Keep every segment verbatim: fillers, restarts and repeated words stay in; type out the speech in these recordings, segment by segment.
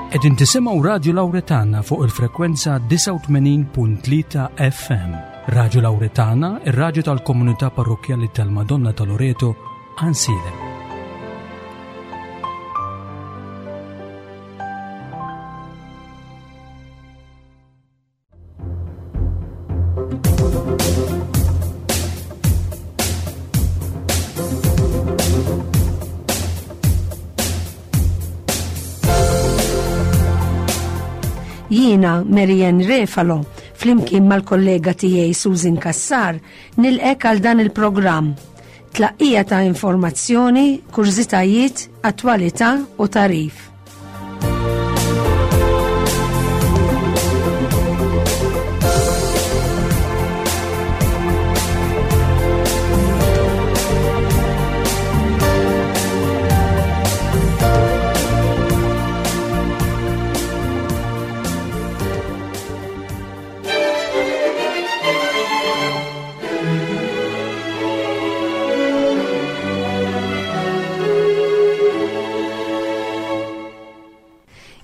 Qegħdin tisimgħu Radju Lawretana fuq il-frekwenza disgħa u tmenin punt tlieta F M. Radju Lawretana, ir-radju tal-Komunità Parrokkjali tal-Madonna ta' Loreto, Għajnsielem. Jiena Marianne Refalo, flimkien mal-kollega tiegħi Susan Kassar, nilqgħek għal dan il-programm. Tlaqqija ta' informazzjoni, kurżitajiet, attwalità u tagħrif.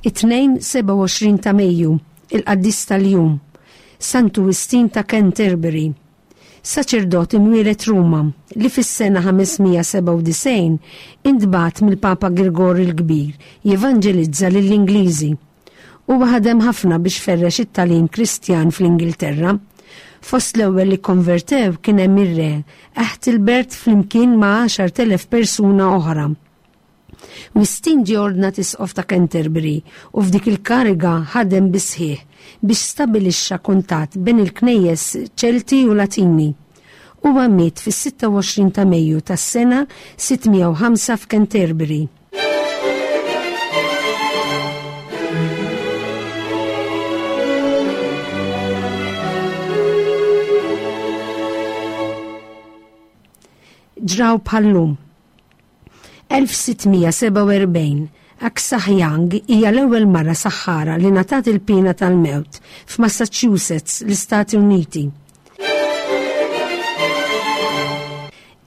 It-Tnejn sebgħa u għoxrin ta' Mejju, il-qaddis tal-jum, Santu Wistin ta' Canterbury. Saċerdot imwieled Ruma li fis-sena ħames mija sebgħa u disgħin intbagħat mill-Papa Girgor il-Kbir jevanġelizza lill-Ingliżi. Huwa ħadem ħafna biex ferrex it-tagħlim Kristjan fl-Ingilterra. Fost l-ewwel li konvertew kien hemm ir-re Aethelbert flimkien ma' għaxart elef persuna oħra. Wistin ġie ordnat isqof ta' Canterbury u f'dik il-kariga ħadem bisħiħ biex stabilixxa kuntatt bejn il-knejjes Ċelti u Latini. Huwa miet fis-sitta u għoxrin ta' Mejju tas-sena sitt mija u ħamsa f'Canterbury. Ġraw bħal-lum. elf sitt mija sebgħa u erbgħin, Aksah Young hija l-ewwel mara saħħara li ngħatat il-pina tal-mewt f'Massachusetts, l-Istati Uniti.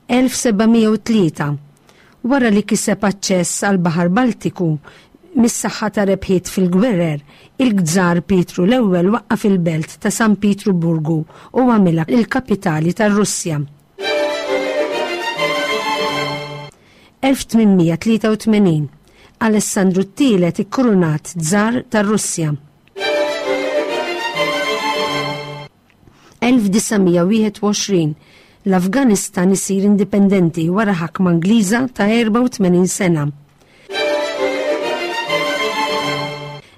elf seba' mija u tlieta, wara li kiseb aċċess għal Baħar Baltiku mis-saħħa ta' rebħiet fil-gwerer, il-Gżar Pietru l-ewwel waqqaf il-belt ta' San Pietruburgu u għamilha il-kapitali tar-Russja. elf tmien mija tlieta u tmenin, Alessandru t-tielet ikkurunat Żar tar-Russja. elf disa' mija wieħed u għoxrin, l-Afganistan isir indipendenti wara ħakma Ingliża ta' erbgħa u tmenin sena.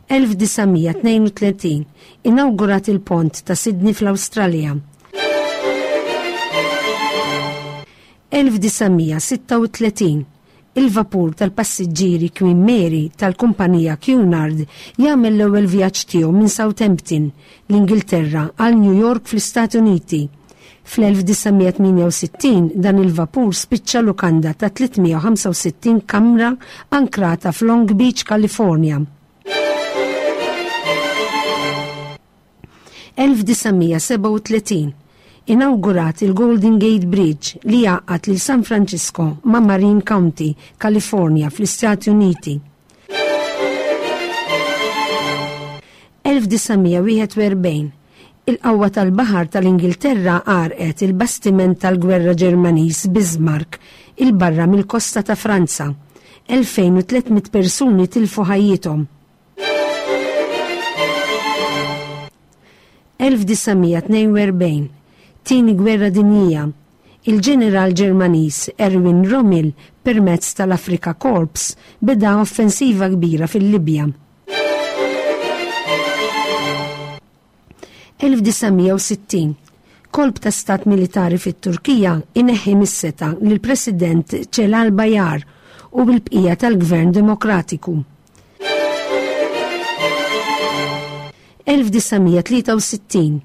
elf disa' mija tnejn u tletin, inawgurat il-pont ta' Sydney fl-Awstralja. elf disa' mija sitta u tletin, il-vapur tal-passiġġieri Queen Mary tal-kumpanija Cunard jagħmel l-ewwel vjaġġ tiegħu minn Southampton, l-Ingilterra, għal New York fl-Istati Uniti. Fl-elf disa' mija tmienja u sittin dan il-vapur spiċċa lukanda ta' tliet mija u ħamsa u sittin kamra ankrata f'Long Beach, California. elf disa' mija sebgħa u tletin, inawgurat il-Golden Gate Bridge li jgħaqqad lil San Francisco ma' Marin County, California fl-Istati Uniti. elf disa' mija wieħed u erbgħin, il-qawwa tal-baħar tal-Ingilterra għarqet il-bastiment tal-gwerra Ġermaniż Bismarck il-barra mill-kosta ta' Franza. elfejn u tliet mitt persuni tilfu ħajjithom. elf disa' mija tnejn u erbgħin, Tieni Gwerra Dinjija, il-ġeneral Ġermaniż Erwin Rommel permezz tal-Afrika Korps beda offensiva kbira fil-Libja. elf disa' mija u sittin, kolp ta' stat militari fit-Turkija ineħħi mis-setgħa lill-President Celal Bayar u l-bqija tal-Gvern Demokratiku. elf disa' mija tlieta u sittin,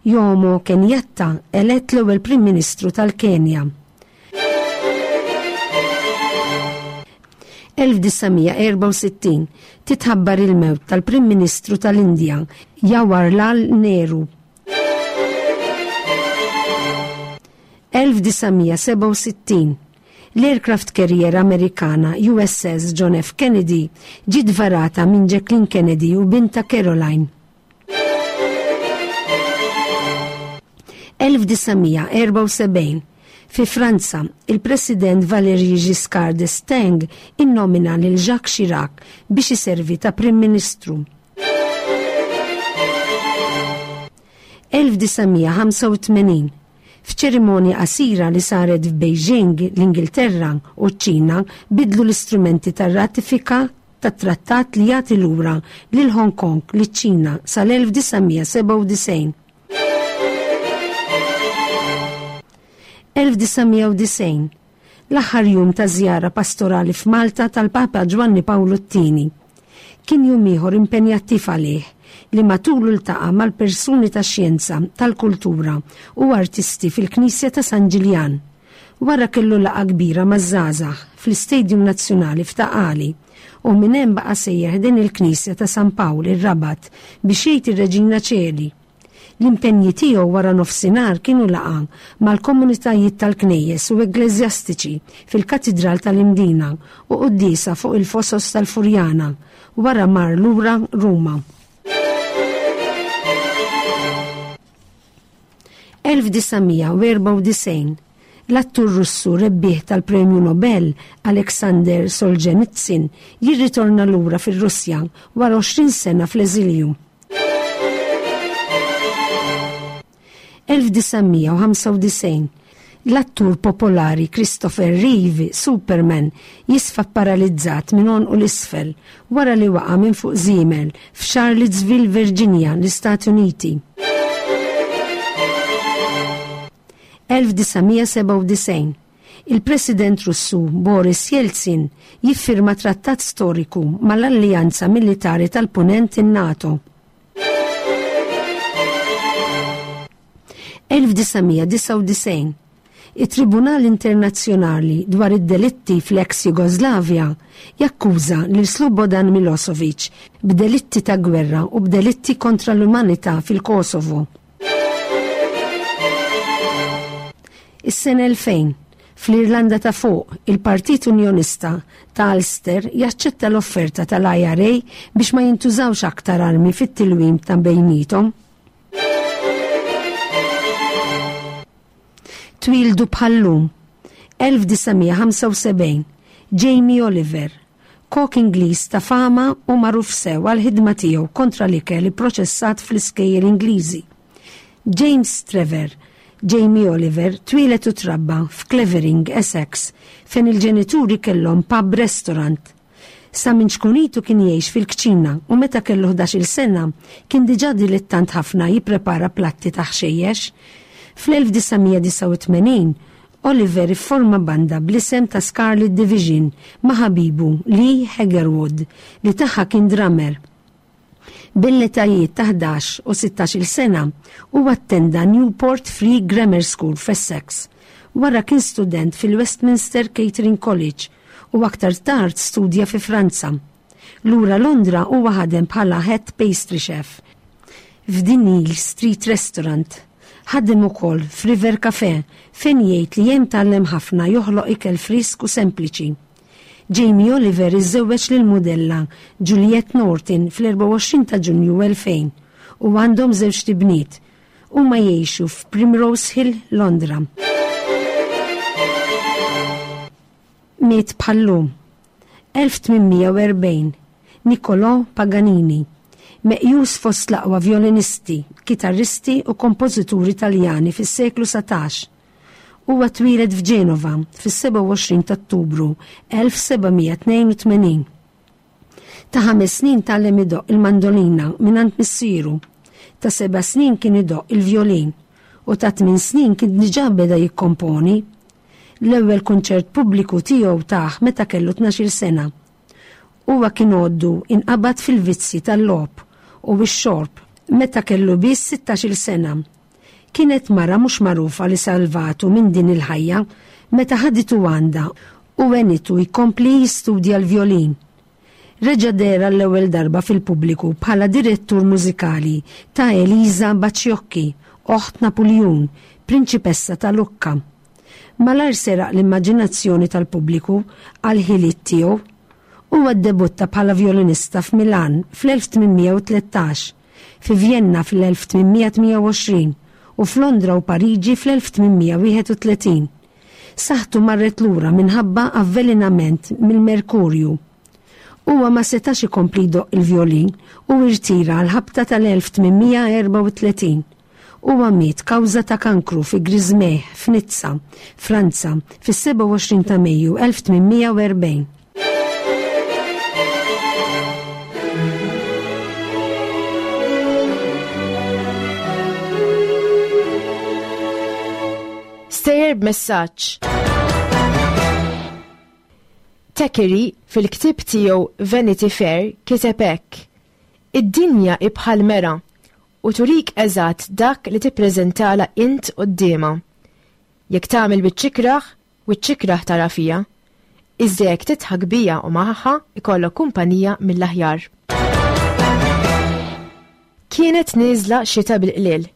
Jomo Kenyatta elett l-ewwel Prim Ministru tal-Kenja. elf disa' mija erbgħa u sittin, titħabbar il-mewt tal-Prim Ministru tal-Indja Jawaharlal Nehru. elf disa' mija sebgħa u sittin, L-aircraft carrier Amerikana U S S John F. Kennedy ġiet varata minn Jacqueline Kennedy u binta Caroline. elf disa' mija erbgħa u sebgħin. Fi Franza, il-President Valéry Giscard d'Estaing innomina lil Jacques Chirac biex iservi ta' Prim Ministru. elf disa' mija ħamsa u tmenin. F'ċerimonja qasira li saret f'Beijing, l-Ingilterra u ċ-Ċina bidlu l-istrumenti tar-ratifika tat-trattat li jagħti lura lil Hong Kong liċ-Ċina sal-elf disa' mija sebgħa u disgħin. elf disa' mija u disgħin. L-aħħar jum ta' żjara pastorali f'Malta tal-Papa Ġwanni Pawlu t-Tieni. Kien jum ieħor impenjattiv għalih li matulu ltaqa' mal-persuni ta' xjenza, tal-kultura u artisti fil-Knisja ta' San Ġiljan. Wara kellu laqgħa kbira maż-żgħażagħ fl-Istadium Nazzjonali f'Ta' Qali u minn hemm baqa' sejjer din il-Knisja ta' San Pawl ir-Rabat biex jgħid ir-Reġina Ċeli. L-impenji tiegħu wara nofsinhar kienu laqgħa mal-komunitajiet tal-knejjes u ekkleżjastiċi fil-Katidral tal-Imdina u quddiesa fuq il-Fosos tal-Furjana. Wara mar lura Ruma. elf disa' mija erbgħa u disgħin. L-attur Russu rebbieħ tal-Premju Nobel Alexander Solzhenitsyn jirritorna lura fir-Russja wara għoxrin sena fl-eżilju. elf disa' mija ħamsa u disgħin. L-attur popolari Christopher Reeve, Superman, jisfa paralizzat minn għonqu 'l isfel wara li waqa' minn fuq żiemel f'Charlottesville, Virginia, l-Istati Uniti. elf disa' mija sebgħa u disgħin. Il-President Russu Boris Yeltsin jiffirma trattat storiku mal-Alleanza Militari tal-Punent, in-NATO. elf disa' mija disgħa u disgħin. Il-Tribunal Internazzjonali dwar id-delitti fl-ex Jugoslavja jakkuża lil Slobodan Milosevic b'delitti ta' gwerra u b'delitti kontra l-umanità fil-Kosovo. Is-sena elfejn. Fl-Irlanda ta' Fuq, il-Partit Unjonista ta' Ulster jaċċetta l-offerta tal-I R A biex ma jintużawx aktar armi fit-tilwim ta' bejnietom. Twildu bħal-lum elf disa' mija ħamsa u sebgħin. Jamie Oliver, kok Ingliż ta' fama u magħruf sew għal ħidma tiegħu kontra l-ikel ipproċessat fl-iskejjel Ingliżi. James Trevor Jamie Oliver twieled u trabba f'Clevering, Essex, fejn il-ġenituri kellhom pub restaurant. Sa minn ċkunitu kien jgħix fil-kċina u meta kellu ħdax-il sena kien diġà dilettant ħafna jipprepara platti ta' ħxejjex. Fl-elf disa' mija disgħa u tmenin Oliver ifforma banda bl-isem ta' Scarlet Division ma' ħabibu Lee Hagerwood li tagħha kien drummer. Bl-etajiet ta' ħdax u sittax-il sena u attenda Newport Free Grammar School f'Essex. Wara kien student fil-Westminster Catering College u aktar tard studja fi Franza. Lura Londra huwa ħadem bħala head pastry chef f'Dinil Street Restaurant. Ħadem ukoll f'River Cafe fejn jgħid li hemm tgħallem ħafna joħloq ikel frisk u sempliċi. Jamie Oliver iżżewweġ lil modella Juliette Norton fl-erbgħa u għoxrin ta' Ġunju elfejn u għandhom żewġt ibniet. Huma jgħixu f'Primrose Hill, Londra. Miet bħal-lum elf tmien mija u erbgħin. Niccolò Paganini, meqjus fost l-aqwa violinisti, kitarristi u kompożituri Taljani fis-seklu satax. Huwa twieled f'Ġenova fis-sebgħa u għoxrin ta' Ottubru elf seba' mija tnejn u tmenin. Ta' ħames snin tgħallem idoqq il-mandolina mingħand missieru. Ta' seba' snin kien idoqq il-violin u ta' tmien snin kien diġà beda jikkomponi. L-ewwel kunċert pubbliku tiegħu tah meta kellu tnax-il sena. Huwa kien għoddu inqabad fil-vizzi tal-logħob u x-xorb meta kellu biss sittax-il sena. Kienet mara mhux magħrufa li salvatu minn din il-ħajja meta ħaditu għandha u għenitu jkompli jistudja l-violin. Reġa' deher l-ewwel darba fil-pubbliku bħala direttur mużikali ta' Elisa Baciocchi, oħt Napoleon, prinċipessa ta' Lucca. Malajr seraq l-immaġinazzjoni tal-pubbliku għal ħiliet tiegħu. Huwa ddebutta bħala violinista f'Milan fl-elf tmien mija u tlettax, fi Vienna fl-elf tmien mija tmienja u għoxrin u f'Londra u Pariġi fl-elf tmien mija wieħed u tletin. Saħħtu marret lura minħabba avvelenament mill-merkurju. Huwa ma setax ikompli jdoqq il-violin u irtira għal ħabta tal-elf tmien mija erbgħa u tletin. Huwa miet kawża ta' kankru fi Griżmej f'Nizza, Franza, fis-sebgħa u għoxrin ta' Mejju elf tmien mija u erbgħin. Stejjer b'messaġġ. Thackeray fil-ktieb tiegħu Vanity Fair kiteb hekk: Id-dinja hi bħal mera u turik eżatt dak li tippreżentala int quddiemha. Jekk tagħmel biċ-ċikraħ, u ċ-ċikraħ tara fija. Iżda jekk tidħak bija u magħha ikollok kumpanija mill-aħjar. Kienet nieżla xita bil-qliel,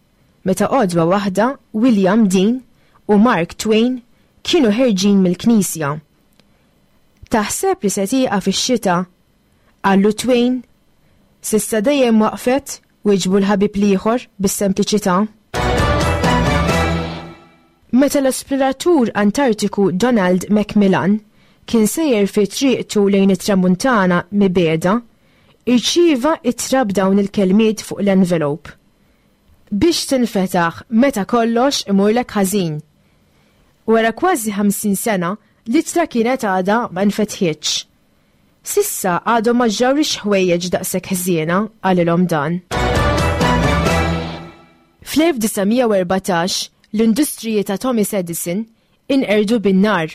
meta għodwa waħda William Dean u Mark Twain kienu ħerġin mill-knisja. Taħseb li se tieqaf ix-xita? Qallu Twain. S'issa dejjem waqfet, wieġbu l-ħabib l-ieħor bis-sempliċità. Meta l-esploratur Antartiku Donald Macmillan kien sejjer fi triqtu lejn it-tramuntana mibeda, irċieva ittra b'dawn il-kelmiet fuq l-envelope. Biex tinfetaħ meta kollox imurlek ħażin. Wara kważi ħamsin sena, l-ittra kienet għadha ma nfetħitx. Sissa għadhom ma ġrawlix ħwejjeġ daqshekk ħżiena, qalilhom dan. Fl-elf disa' mija u erbatax, l-industriji ta' Thomas Edison inqerdu bin-nar.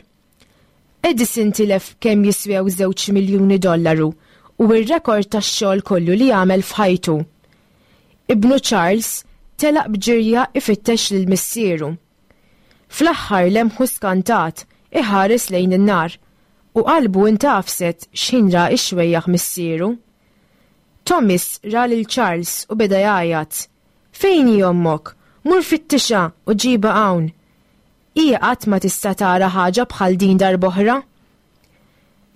Edison tilef kemm jiswew żewġ miljuni dollaru u r-rekord tax-xogħol kollu li għamel f'ħajtu. Ibnu Charles telaq b'ġirja ifittex lil missieru. Fl-aħħar lemħu skantat iħares lejn in-nar u qalbu intafset x'ħin ra x-xwejjaħ missieru. Thomas ra lil Charles u beda jgħajjat. Fejn hi ommok? Mur fittixha u ġiba hawn. Hija qatt ma tista' tara ħaġa bħal din darb'oħra.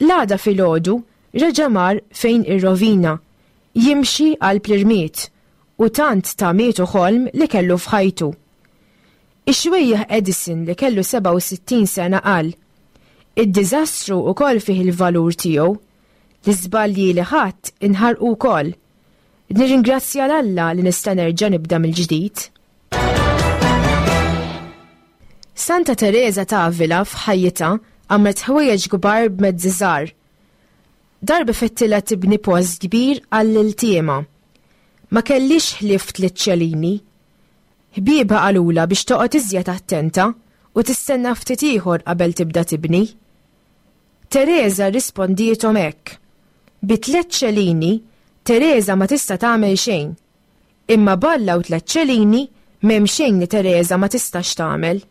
L-għada filgħodu reġa' mar fejn ir-rovina, jimxi għal plirmiet u tant ta' mietu ħolm li kellu f'ħajtu. Ix-xwejjaħ Edison li kellu sebgħa u sittin sena qal, Id-diżastru wkoll fih il-valur tiegħu, l-iżbalji li ħadd inħarqu wkoll. Nirringrazzja 'l Alla li nista' nerġa' nibda mill-ġdid. Santa Teresa ta' Avila f'ħajjitha għamlet ħwejjeġ kbar b'mezzi żgħar. Darba fettilha tibni post kbir għall-iltiema. Ma kellix ħlief tliet ċelini. Ħbiebha qalulha biex toqgħod iżjed attenta u tistenna ftit ieħor qabel tibda tibni. Teresa rispondiethom hekk. Bi tliet ċelini, Teresa ma tista' tagħmel xejn. Imma balla u tliet ċelini m'hemm xejn li Teresa ma tistax tagħmel.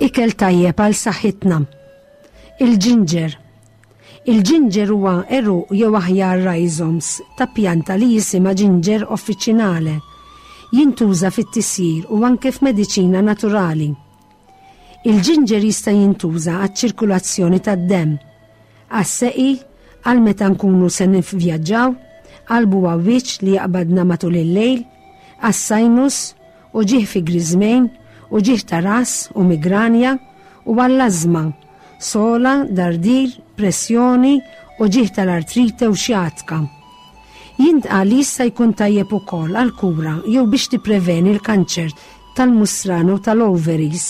Ikel tajjeb għal saħħitna. Il-ġinġer. Il-ġinġer huwa għeruq jew aħjar rhizomes ta' pjanta li jisimha ġinġer offiċinale. Jintuża fit-tisjir u anke f'mediċina naturali. Il-ġinġer jista' jintuża għaċ-ċirkulazzjoni tad-demm, għas-seqi, għal meta nkunu se nivvjaġġaw, għal buwawwiċ li jaqbadna matul il-lejl, għas-sinus, uġigħ fi griżmejn, uġigħ ta' ras u migranja, u għall-ażma, sola, dardir, pressjoni, uġigħ tal-artrite u xjatka. Jintqal li jista' jkun tajjeb ukoll għall-kura jew biex tippreveni l-kanċer tal-musran u tal-ovaries.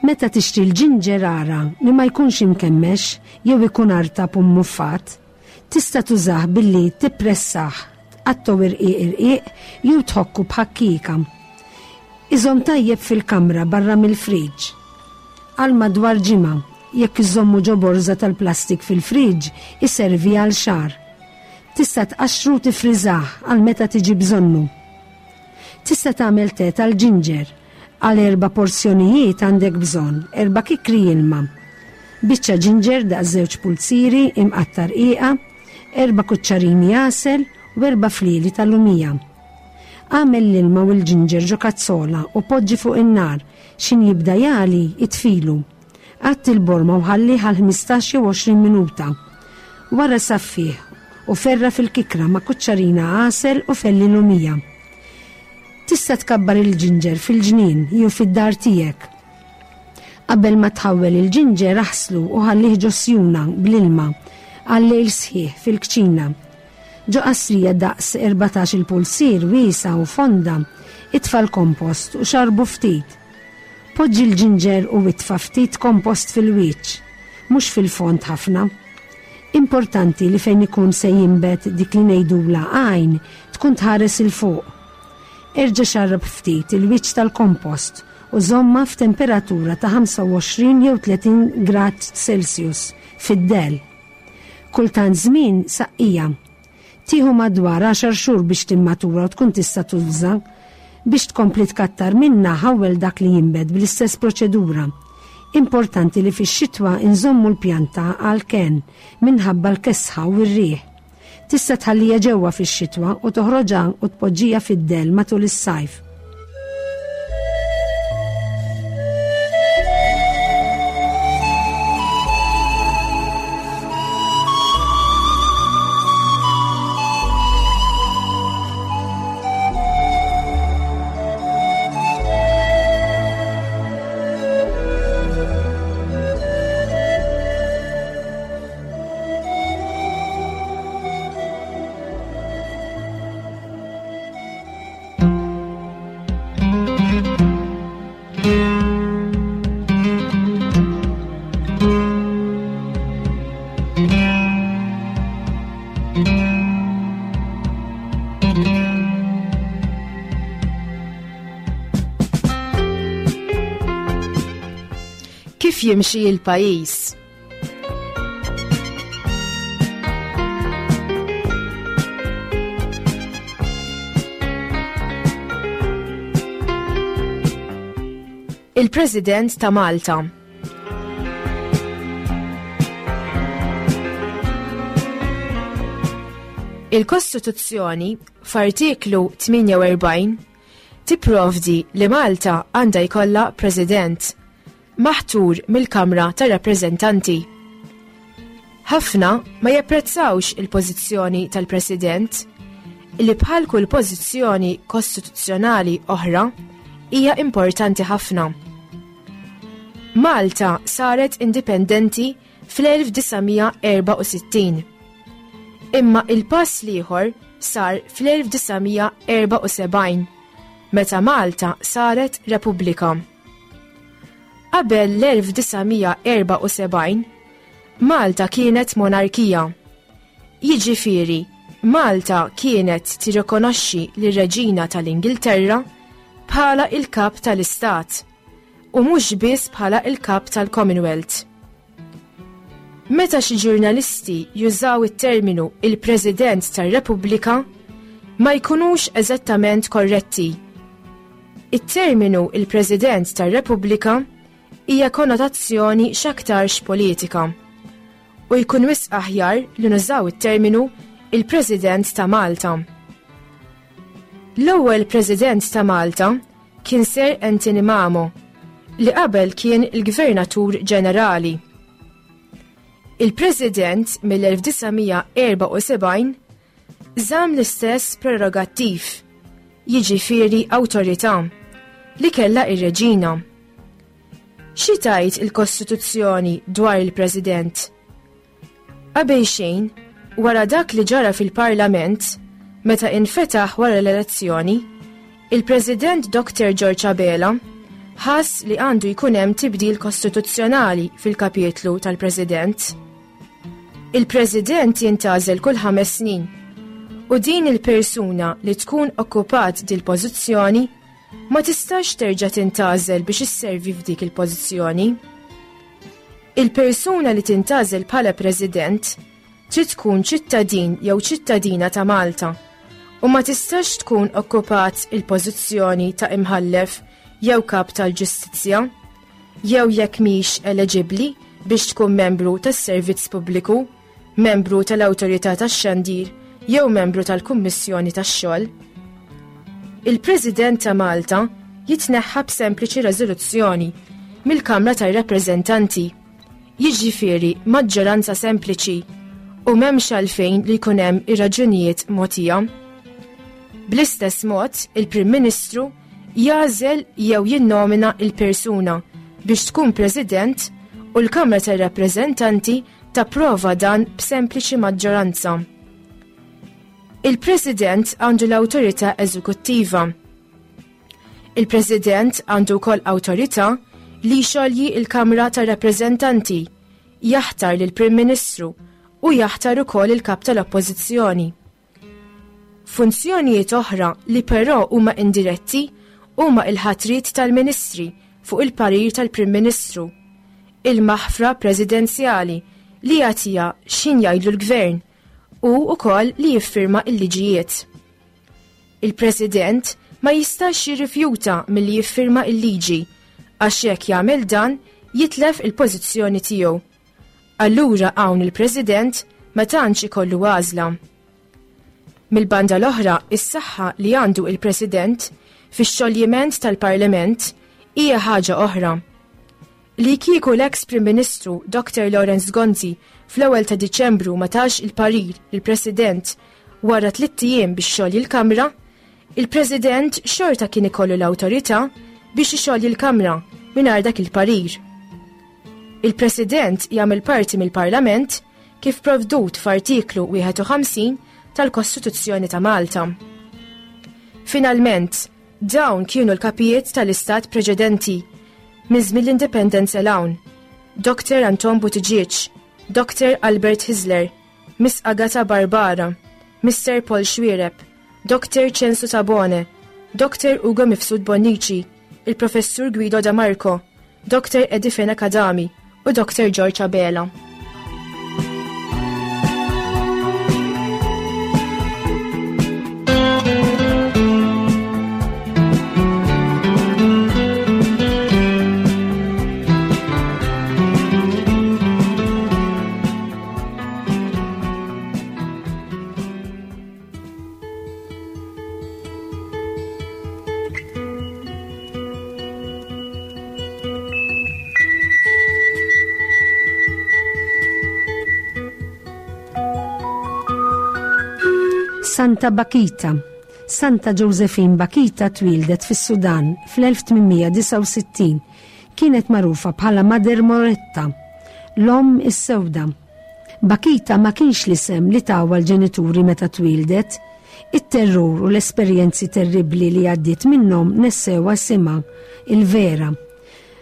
Meta tixtri l-ġinġer ara li ma jkunx imkemmex jew ikun artab u mmuffat, tista' tużah billi tippressah, tqattgħu irqiq irqiq jew tħokku b'ħakkika. Iżomm tajjeb fil-kamra barra mill-friġġ. Għal madwar ġimgħa, jekk iżommu ġo borża tal-plastik fil-friġġ, iservi għal xahar. Tista' tqaxxru tifriżah għal meta tiġi bżonnu. Tista' tagħmel te tal-ġinġer. Għal erba' porzjonijiet għandek bżonn erba' kikri ilma, biċċa ġinġer daqs żewġ pulzieri imqatta' rqiqa, erba' kuċċarini għasel u erba' flieli tal-lumija. Agħmel l-ilma u l-ġinġer ġo kazzola u poġġi fuq in-nar x'ħin jibda jagħli itfilu. Għatti l-borma u ħallih għal ħmistax jew għoxrin minuta. Wara saffih u ferra fil-kikra ma' kuċċarina għasel u felli lumija. Tista' tkabbar il-ġinġer fil-ġnien jew fid-dar tiegħek. Qabel ma tħawwel il-ġinġer aħslu u ħallih ġo sjuna bl-ilma għal lejl sħiħ fil-kċina. Ġo qasrija daqs erbatax il-pulzier wiesa u fonda, itfa' l-kompost u xarbu ftit. Poġġi l-ġinġer u itfa' ftit kompost fil-wiċċ, mhux fil-fond ħafna. Importanti li fejn ikun se jinbet dik li ngħidula għajn tkun tħares il fuq. Erġa' xarrab ftit il-wiċċ tal-kompost u żomma f'temperatura ta' ħamsa u għoxrin jew tletin grad Celsius fid-del. Kultant żmien saqqija. Tieħu madwar għaxar xhur biex timmatura u tkun tista' tuża. Biex tkompli tkattar minna ħawwel dak li jinbet bl-istess proċedura. Importanti li fix-xitwa inżommu l-pjanta għal ken minħabba l-kesħa u r-riħ. Tista' tħallija ġewwa fix-xitwa u toħroġha u tpoġġija fid-del matul is-sajf. Kif jimxi l-pajjiż? Il-President ta' Malta. Il-Kostituzzjoni f'artiklu tmienja u erbgħin tipprovdi li Malta għandha jkollha President maħtur mill-Kamra tar-Rappreżentanti. Ħafna ma japprezzawx il-pożizzjoni tal-President li bħal kull pożizzjoni kostituzzjonali oħra hija importanti ħafna. Malta saret indipendenti fl-elf disa' mija erba' u sittin. Imma il-pass l-ieħor sar fl-elf disa' mija erba' u sebgħin, meta Malta saret Repubblika. Qabel l-elf disa' mija erba' u sebgħin, Malta kienet monarkija. Jiġifieri, Malta kienet tirrikonoxxi lir-Reġina tal-Ingilterra bħala il-kap tal-Istat u mhux biss bħala il-kap tal-Commonwealth. Meta xi ġurnalisti jużaw it-terminu il-President tar-Repubblika, ma jkunux eżattament korretti. It-terminu il-President tar-Repubblika hija konnotazzjoni x'aktarx politika u jkun wisq aħjar li nużaw it-terminu il-President ta' Malta. L-ewwel President ta' Malta kien Sir Anthony Mamo, li qabel kien il-Gvernatur Ġenerali. Il-President mill-elf disa' mija erba' u sebgħin żamm l-istess prerogattiv, jiġifieri awtorità, li kellha ir-Reġina. Xi tgħid il-Kostituzzjoni dwar il-President? Qabel xejn, wara dak li ġara fil-Parlament, meta infetaħ wara l-elezzjoni, il-President Doktor George Abela ħass li għandu jkun hemm tibdil kostituzzjonali fil-kapitlu tal-President. Il-President jintgħażel kull ħames snin u din il-persuna li tkun okkupat dil-pożizzjoni ma tistax terġa' tintgħażel biex isservi f'dik il-pożizzjoni. Il-persuna li tintgħażel bħala President trid tkun ċittadin jew ċittadina ta' Malta u ma tistax tkun okkupat il-pożizzjoni ta' imħallef jew kap tal-ġustizzja, jew jekk mhix eleġibbli biex tkun membru tas-servizz pubbliku, membru tal-Awtorità tax-Xandir jew membru tal-Kummissjoni tax-Xogħol. Il-President ta' Malta jitneħħa b'sempliċi reżoluzzjoni mill-Kamra tar-Rappreżentanti, jiġifieri maġġoranza sempliċi u m'hemmx għalfejn li jkun hemm ir-raġunijiet mogħtija. Bl-istess mod, il-Prim Ministru jagħżel jew jinnomina il-persuna biex tkun President u l-Kamra tar-Rappreżentanti tapprova dan b'sempliċi maġġoranza. Il-President għandu l-awtorità eżekuttiva. Il-President għandu wkoll awtorità li jxolji il-Kamra tar-Rappreżentanti, jaħtar lill-Prim Ministru u jaħtar ukoll il-Kap tal-Oppożizzjoni. Funzjonijiet oħra li però huma indiretti huma il-ħatriet tal-Ministri fuq il-parir tal-Prim Ministru, il-maħfra presidenzjali li jagħtiha x'ħin jgħidlu l-Gvern u wkoll li jiffirma l-liġijiet. Il-President ma jistax jirrifjuta milli jiffirma l-liġi għax jekk jagħmel dan jitlef il-pożizzjoni tiegħu. Allura hawn il-President ma tantx ikollu għażla. Mill-banda l-oħra, is-saħħa li għandu il-President fix-xoljiment tal-Parlament hija ħaġa oħra. Li kieku l-ex Prim Ministru Doctor Lawrence Gonzi fl-ewwel ta' Diċembru ma tax il-parir lill-President wara tliet ijiem biex xolji l-Kamra, il-President xorta kien ikollu l-awtorità biex ixolji l-Kamra mingħajr dak il-parir. Il-President jagħmel parti mill-Parlament kif provdut f'artiklu wieħed u ħamsin tal-Kostituzzjoni ta' Malta. Finalment, dawn kienu l-kapijiet tal-istat preċedenti minn żmien l-Indipendenza 'l hawn. Doctor Anton Buttigieg, Doctor Albert Hyzler, Miss Agatha Barbara, Mister Paul Xuereb, Doctor Censu Tabone, Doctor Ugo Mifsud Bonnici, il-Professur Guido Da Marco, Doctor Eddie Fenech Adami u Doctor George Abela. Santa Bakita. Santa Josephine Bakita twildet fis-Sudan fl-elf tmien disgħa u sittin. Kienet magħrufa bħala Mother Moretta, l-omm is-sewda. Bakita ma kienx l-isem li tawha l-ġenituri meta twildet. It-terrur u l-esperjenzi terribbli li għaddiet minnhom nessewha isimha, il-vera.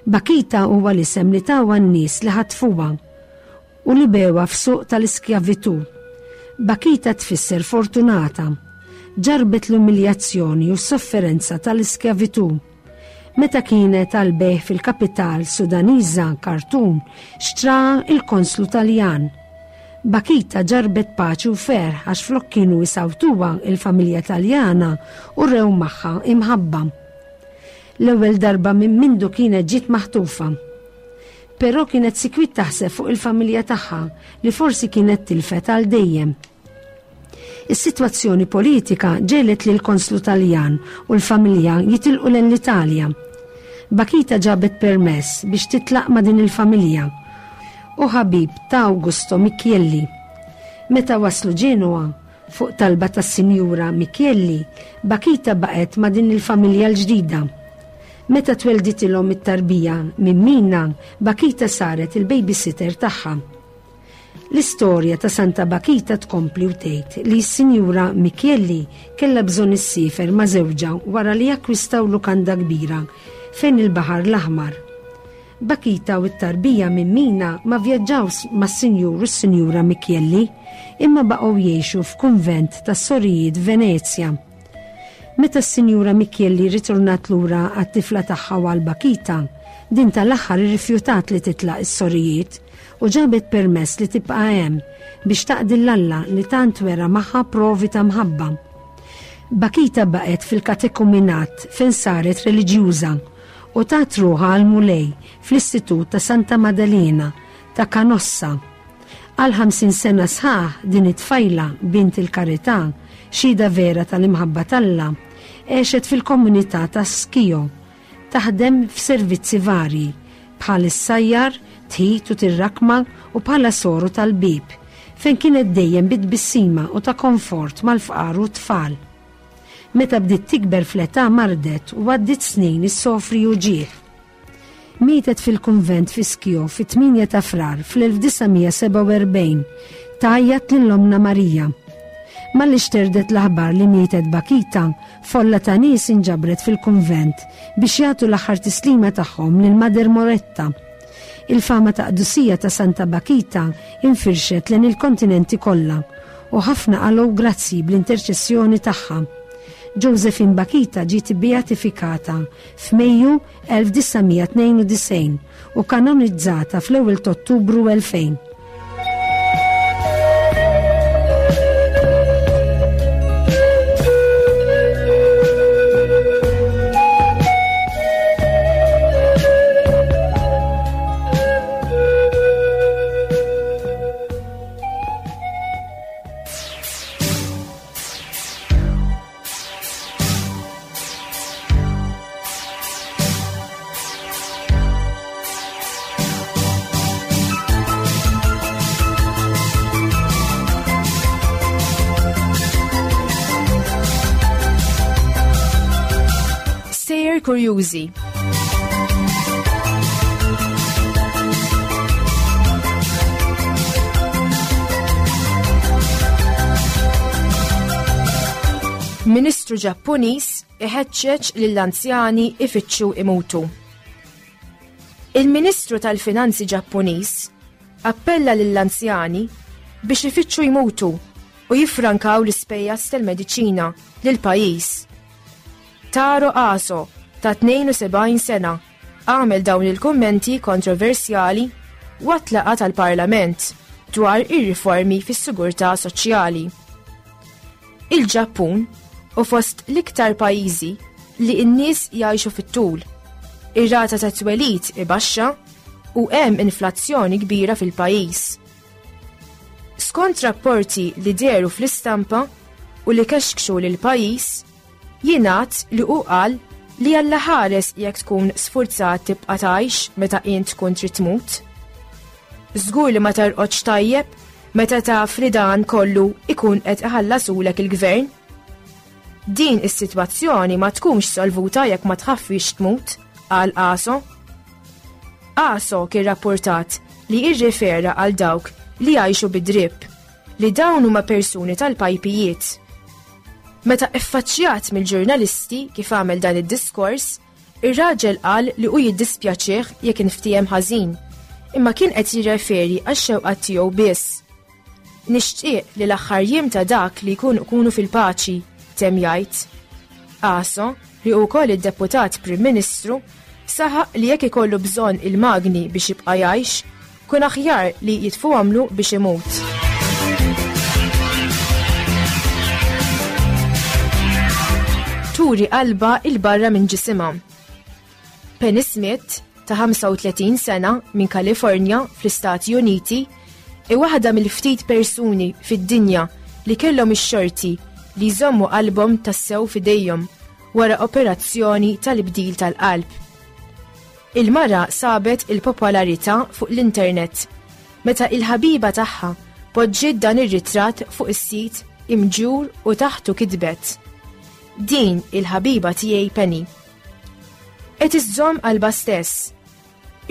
Bakita huwa l-isem li tawha n-nies li ħatfuha u li bewha f'suq tal-iskjavitù. Bakita tfisser fortunata. Ġarbet l-umiljazzjoni u s-sofferenza tal-iskjavitù. Meta kienet għal bejgħ fil-kapital Sudaniża Khartoum, xtraha il-konslu Taljan. Bakita ġarbet paċi u ferħ għax flok kienu jisawtuha il-familja Taljana u rew magħha imħabba. L-ewwel darba minn mindu kienet ġiet maħtufa. Però kienet sikwit taħseb fuq il-familja tagħha li forsi kienet tilfet għal dejjem. Is-sitwazzjoni politika ġelet lil konslu Taljan u l-familja jitilqu lejn l-Italja. Bakita ġabet permess biex titlaq ma' din il-familja u ħabib ta' Augusto Michielli. Meta waslu Ġenoa, fuq talba tas-Sinjura Michielli, Bakita baqgħet ma' din il-familja l-ġdida. Meta twelditilhom it-tarbija minn Mina, Bakita saret il-babysitter tagħha. L-istorja ta' Santa Bakita tkompli u tgħid li s-Sinjura Michielli kellha bżonn issifer ma' żewġha wara li akkwistaw lukanda kbira fejn il-Baħar l-Aħmar. Bakita u t-tarbija minn Mina ma vjaġġaw mas-Sinjur u s-Sinjura Michielli imma baqgħu jgħixu f'kunvent tas-Sorijiet Venezja. Meta s-Sinjura Michielli ritornat lura għat-tifla tagħha u għal Bakita, din tal-aħħar irrifjutat li titlaq is-sorijiet u ġabet permess li tibqa' hemm biex taqdi l-Alla li tant wera magħha provi ta' mħabba. Bakita baqgħet fil-katekuminat fejn saret reliġjuża u tat ruħha għall-Mulej fl-Istitut ta' Santa Maddalena ta' Canossa. Għal ħamsin sena sħaħ din it-tfajla bint il-karità, xhieda vera tal-imħabba t'Alla, għexet fil-komunità ta' Schio, taħdem f'servizzi varji bħal issajjar, tħit u tirrakma u bħala soru tal-bib, fejn kienet dejjem bit-tbissima u ta' komfort mal-fqar u t-tfal. Meta bdiet tikber fl-età mardet u għaddiet snin issofri uġigħ. Mietet fil-kunvent fi Schio fit-tmienja ta' Frar fl-elf disa' mija sebgħa u erbgħin, tgħajjat lil Omna Marija. Malli xterdet l-aħbar li mietet Bakita, folla ta' nies inġabret fil-kunvent biex jagħtu l-aħħar tislima tagħhom lil Mader Moretta. Il-fama ta' qdusija ta' Santa Bakita infirxet lejn il-kontinenti kollha u ħafna qalgħu grazzi bl-interċessjoni tagħha. Josephine Bakita ġiet beatifikata f'Mejju elf disa' mija tnejn u disgħin u kanonizzata fl-ewwel ta' Ottubru elfejn. Kurjużi. Ministru Ġappuniż iħeġġeġ lill-anzjani ifittxu imutu. Il-Ministru tal-Finanzi Ġappuniż appella lill-anzjani biex ifittxu jmutu u jiffrankaw l-ispejjeż tal-mediċina lill-pajjiż. Taro Aso ta' tnejn u sebgħin sena għamel dawn il-kummenti kontroversjali waqt laqgħa tal-Parlament dwar ir-riformi fis-sigurtà soċjali. Il-Ġappun u fost l-iktar pajjiżi li n-nies jgħixu fit-tul. Ir-rata ta' twelid ibaxxa u hemm inflazzjoni kbira fil-pajjiż. Skont rapporti li dehru fl-istampa u li kexkxu lil pajjiż, jingħad li hu qal li Alla ħares jekk tkun sfurzat tibqa' tgħix meta int tkun trid tmut. Żgur li ma tarqodx tajjeb meta taf li dan kollu ikun qed iħallasulek il-gvern. Din is-sitwazzjoni ma tkunx solvuta jekk ma tħaffix tmut, qal Aso. Aso kien rapportat li irrifera għal dawk li jgħixu bid-drib, li dawn huma persuni tal-pajpijiet. Meta iffaċċjat mill-ġurnalisti kif għamel dan id-diskors, ir-raġel qal li hu jiddispjaċih jekk inftiehem ħażin, imma kien qed jirreferi għax-xewqa tiegħu biss. Nixtieq li l-aħħar jiem ta' dak li jkun ikunu fil-paċi, temm jgħid. Aso, li hu wkoll id-deputat Prim Ministru, saħaq li jekk ikollu bżonn il-magni biex jibqa' jgħix, kun aħjar li jitfuhamlu biex imut. Turi qalba il-barra minn ġisimha. Penny Smith, ta' ħamsa u tletin sena minn Kalifornja fl-Istati Uniti, i waħda mill-ftit persuni fid-dinja li kellhom ix-xorti li jżommu qalbhom tassew f'idejhom wara operazzjoni tal-ibdil tal-qalb. Il-mara sabet il-popolarità fuq l-internet meta il-ħabiba tagħha poġġiet dan ir-ritratt fuq is-sit imġur u taħtu kitbet: Din il-ħabiba tiegħi Penny. Qed iżżomm qalbha stess.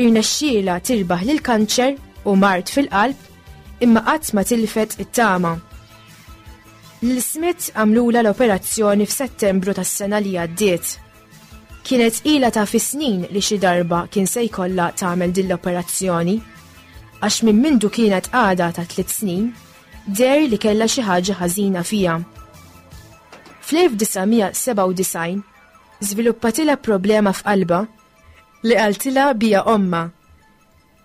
Irnexxielha tirbaħ lil kanċer u mard fil-qalb imma qatt ma tilfet it-tama. Lil Smith għamlula l-operazzjoni f'Settembru tas-sena li għaddiet. Kienet ilha ta' fi snin li xi darba kien se jkollha tagħmel din l-operazzjoni, għax minn mindu kienet għadha ta' tliet snin, deher li kellha xi ħaġa ħażina fiha. Fl-elf disa' mija sebgħa u disgħin żviluppatilha problema f'qalbha li qaltilha bija omma.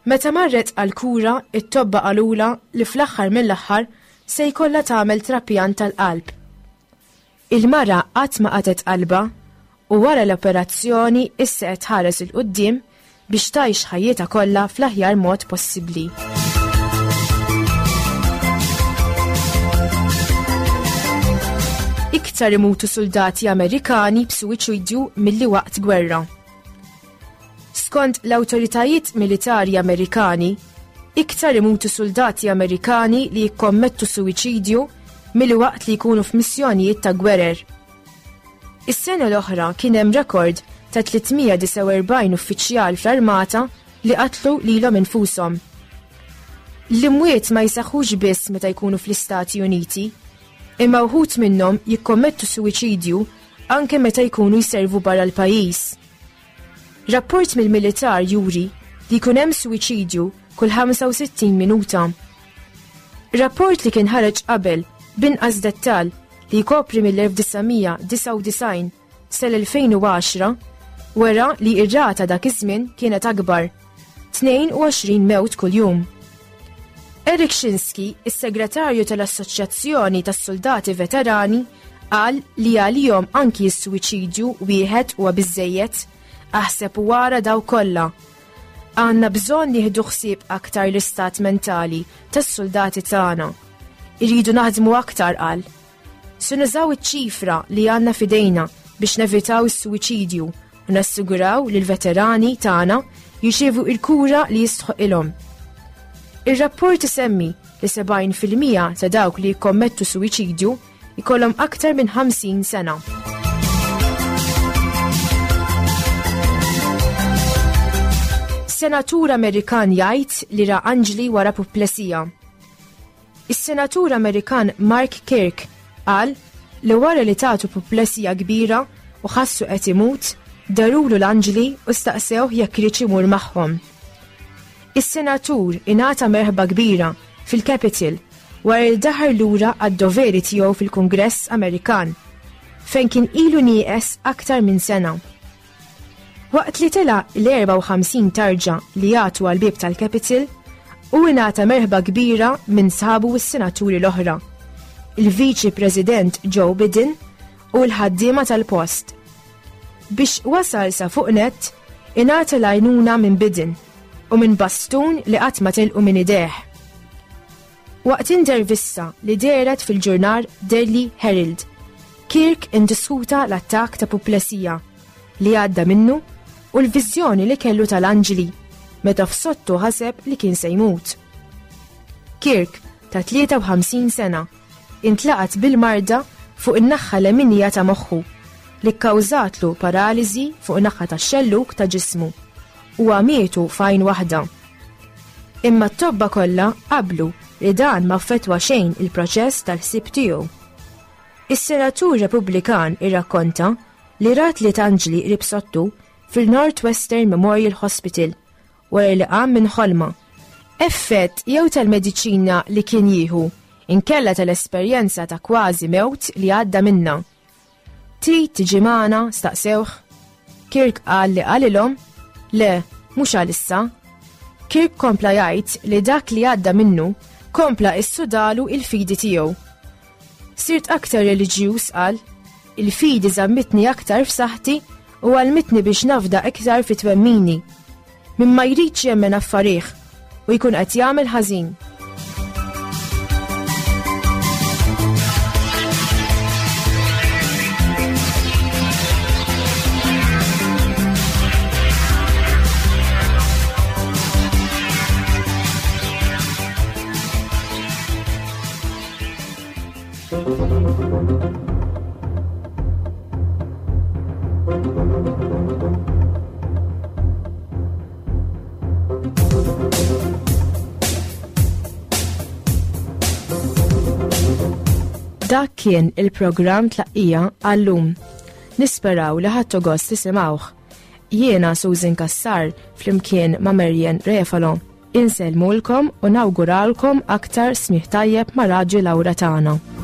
Meta marret għal-kura, it-tobba qalulha li fl-aħħar mill-aħħar se jkollha tagħmel trapjant tal-qalb. Il-mara qatt ma qatgħet qalbha U wara l-operazzjoni issa qed tħares 'il quddiem biex tgħix ħajjitha kollha fl-aħjar mod possibbli. Iktar imutu soldati Amerikani b'suwiċidju milli waqt gwerra. Skont l-awtoritajiet militari Amerikani, iktar imutu soldati Amerikani li jikkommettu suwiċidju milli waqt li jkunu f'missjonijiet ta' gwerer. Is-sena l-oħra kien hemm rekord ta' tliet mija disgħa u erbgħin uffiċjal fl-armata li qatlu lilhom infushom. L-imwiet ma jseħħux biss meta jkunu fl-Istati Uniti, imma wħud minnhom jikkommettu suwiċidju anke meta jkunu jservu barra l-pajjiż. Rapport mill-militar juri li jkun hemm suwiċidju kull ħamsa u sittin minuta. Rapport li kien ħareġ qabel b'inqas dettal li jkopri mill-elf disa' mija disgħa u disgħin sal-elfejn u għaxra wera li r-rata dak iż-żmien kienet akbar, tnejn u għoxrin mewt kuljum. Eric Shinsky, is-segretarju tal-Assoċjazzjoni tas-Soldati Veterani, qal li għalihom anki s-suwiċidju wieħed huwa biżżejjed, aħseb u wara daw kollha. Għandna bżonn nieħdu ħsieb aktar l-istat mentali tas-soldati tagħna. Irridu naħdmu aktar, qal. Se nużaw iċ-ċifra li għandna f'idejna biex nevitaw is-suwiċidju u nassiguraw li l-veterani tagħna jirċievu il-kura li jistħoqilhom. Ir-rapport isemmi li sebgħin fil-mija ta' dawk li jikkommettu suwiċidju jkollhom aktar minn ħamsin sena. Senatur Amerikan jgħid li ra anġli wara puplesija. Is-senatur Amerikan Mark Kirk qal li wara li tatu puplesija kbira u ħassu qed imut, darulu l-anġli u staqsewh jekk irid imur magħhom. Is-senatur ingħata merħba kbira fil-Capitol wara li daħar lura għad-doveri tiegħu fil-Kungress Amerikan, fejn kien ilu nieqes aktar minn sena. Waqt li tela' l-erba' u ħamsin tarġa li jagħtu għall-bieb tal-Capitol, u ingħata merħba kbira minn sħabu u s-senaturi l-oħra, il-Viċi President Joe Biden u l-ħaddiema tal-post. Biex wasal sa fuq nett, ingħata l-għajnuna minn Biden u minn bastun li qatt ma telqu minn idejh. Waqt intervista li dehret fil-ġurnal Daily Herald, Kirk indiskuta l-attakk ta' puplesija li għadda minnu u l-viżjoni li kellu tal-anġli meta f'sottu ħaseb li kien se jmut. Kirk, ta' tlieta u ħamsin sena, intlaqat bil-marda fuq in-naħa leminija ta' moħħu li kkawżatlu paraliżi fuq in-naħa tax-xelluk ta' ġismu u għamietu f'għajn waħda. Imma t-tobba kollha qablu li dan ma affettwa xejn il-proċess tal-ħsieb tiegħu. Is-senatur Repubblikan irrakkonta li rat li tanġli qrib sottu fil-Northwestern Memorial Hospital wara li qam minn ħolma. Effett jew tal-mediċina li kien jieħu inkella tal-esperjenza ta' kważi mewt li għadda minna. Trid tiġi magħna? Staqsewh. Kirk qal li qalilhom, le, mhux għalissa. Kirk kompla jgħid li dak li għadda minnu kompla issudalu il-fidi tiegħu. Sirt aktar reliġjuż, qal, il-fidi żammitni aktar f'saħħti u għalmitni biex nafda iktar fi twemmini. Min ma jridx jemmen affarih u jkun qed jagħmel ħażin. Dak kien il-programm Tlaqqija għallum. Nisperaw li ħadtu gost tisimgħuh. Jiena Susan Cassar flimkien ma' Marian Refalo. Insellmulkom u nawguralkom aktar smigħ tajjeb ma' Raġi Laura tagħna.